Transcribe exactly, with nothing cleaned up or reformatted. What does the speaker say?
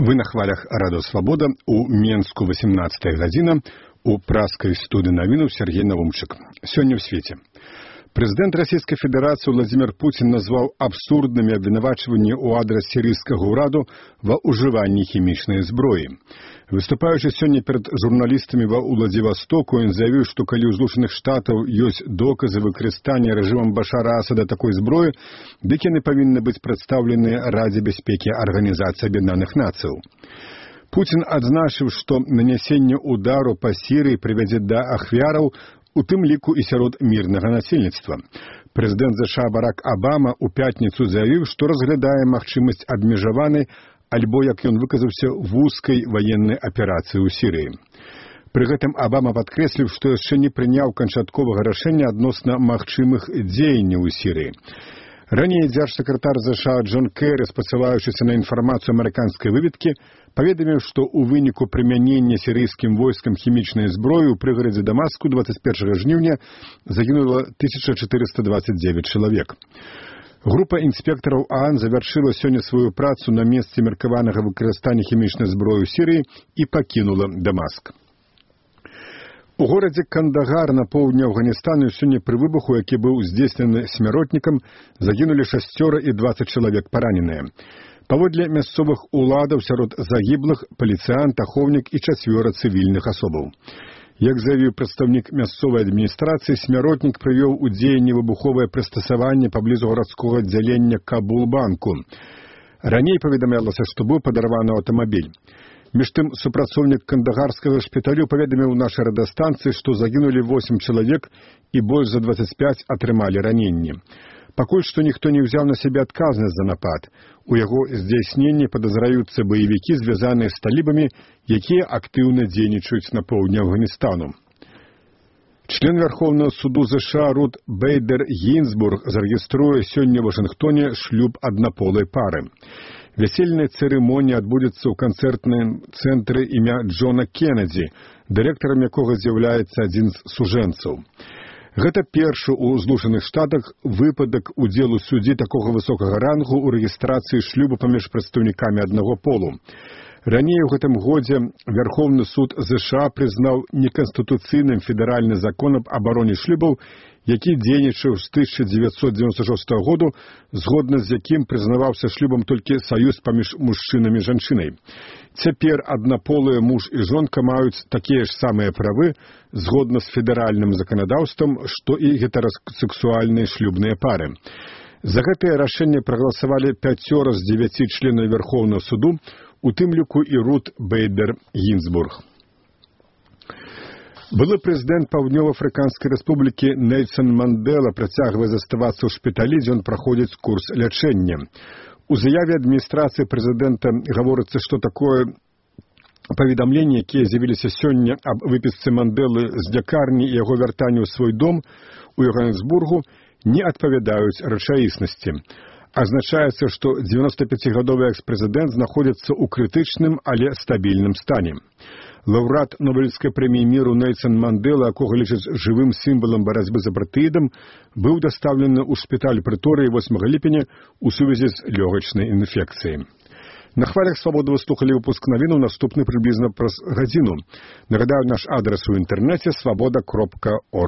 Вы на хвалях Радио Свобода, у Менску восемнадцатая гадзіна, у праскай студыі навінаў Сергей Навумчык. Сёння ў свеце. Прэзідэнт Расійскай Федэрацыі Владзімір Пуцін назваў абсурднымі абвінавачванні ў адрас сірыйскага ўраду ва ўжыванні хімічнай зброі. Выступаючы сёння перад журналістамі ва Уладзівастоку, ён заявіў, што калі ў Злучаных Штатаў ёсць доказы выкарыстання рэжымам Башара Асада такой зброі, дык яны павінны быць прадстаўленыя Радзе бяспекі Арганізацыі Аб'яднаных Нацыяў. Пуцін адзначыў, што нанясенне удару па Сірыі прывядзе да ахвяраў, у тым ліку і сярод мірнага насельніцтва. Прэзідэнт ЗША Барак Абама ў пятніцу заявіў, што разглядае магчымасць абмежаванай альбо, як ён выказаўся, вузкай ваеннай аперацыі ў Сірыі. Пры гэтым Абама падкрэсліў, што яшчэ не прыняў канчатковага рашэння адносна магчымых дзеянняў у Сірыі. Раней дзяржсакратар ЗША Джон Кэры, спасылаючыся на інфармацыю амерыканскай выведкі, паведаміў, што ў выніку прымянення сірыйскім войскам хімічнай зброі ў прыгарадзе Дамаску дваццаць першага жніўня загінула тысяча чатырыста дваццаць дзевяць чалавек. Група інспектараў ААН завяршыла сёння сваю працу на месцы меркаванага выкарыстання хімічнай зброі ў Сірыі і пакінула Дамаск. У горадзе Кандагар на поўдні Афганістану сёння пры выбуху, які быў здзейснены смяротнікам, загінулі шасцёра і дваццаць чалавек параненыя. Паводле мясцовых уладаў сярод загіблых паліцыянт, ахоўнік і чацвёра цывільных асобаў. Як заявіў прадстаўнік мясцовай адміністрацыі, смяротнік прывёў у дзеянне выбуховае прыстасаванне паблізу гарадскога аддзялення Кабул-банку. Раней паведамлялася, што быў падарваны аўтамабіль. Між тым, супрацоўнік кандагарскага шпіталю паведаміў нашай радыёстанцыі, што загінулі восем чалавек і больш за дваццаць пяць атрымалі раненні. Пакуль што ніхто не ўзяў на сябе адказнасць за напад. У яго здзяйсненні падазраюцца баевікі, звязаныя з талібамі, якія актыўна дзейнічаюць на поўдні Афганістану. Член Верховного суду ЗША Рут Бейдер Гінзбург зарэгіструе сёння ў Вашынгтоне шлюб аднаполай пары. Вясельная цырымонія адбудзецца ў канцэртным цэнтры імя Джона Кеннеді, дырэктарам якога з'яўляецца адзін з сужэнцаў. Гэта першы ў Злучаных Штатах выпадак удзелу суддзі такога высокага рангу ў рэгістрацыі шлюбу паміж прадстаўнікамі аднаго полу. Раней у гэтым годзе Верховны суд ЗША прызнаў неканстытуцыйным федэральны закон аб абароне шлюбаў, які дзейнічаў з тысяча дзевяцьсот дзевяносто шостага году, згодна з якім прызнаваўся шлюбам толькі саюз паміж мужчынам і жанчынай. Цяпер аднаполыя муж і жонка маюць такія ж самыя правы, згодна з федэральным заканадаўствам, што і гетэрасексуальныя шлюбныя пары. За гэтае рашэнне прагаласавалі пяцёра з дзевяці членаў Верховнага суду, у тым ліку і Рут Бейдер Гінзбург. Былы прэзідэнт Паўднёва-Афрыканскай рэспублікі Нельсан Мандела працягвае заставацца ў шпіталі, дзе ён праходзіць курс лячэння. У заяве адміністрацыі прэзідэнта гаворыцца, што такое паведамленне, якія з'явіліся сёння аб выпісцы Манделы з лякарні і яго вяртанню ў свой дом у Йоханнесбургу, не адпавядаюць рэчаіснасці. Азначаецца, што дзевяностапяцігадовы экс-прэзідэнт знаходзіцца ў крытычным, але стабільным стане. Лаўрэат Нобелеўскай прэміі міру Нельсан Мандела, якога лічаць жывым сімвалам барацьбы з апартэйдам, быў дастаўлены ў шпіталь Прыторыі восьмага ліпеня ў сувязі з лёгачнай інфекцыяй. На хвалях Свабоды вы слухалі выпуск навінаў, наступны прыблізна праз гадзіну. Нагадаю, наш адрас у інтэрнэце свабода кропка орг.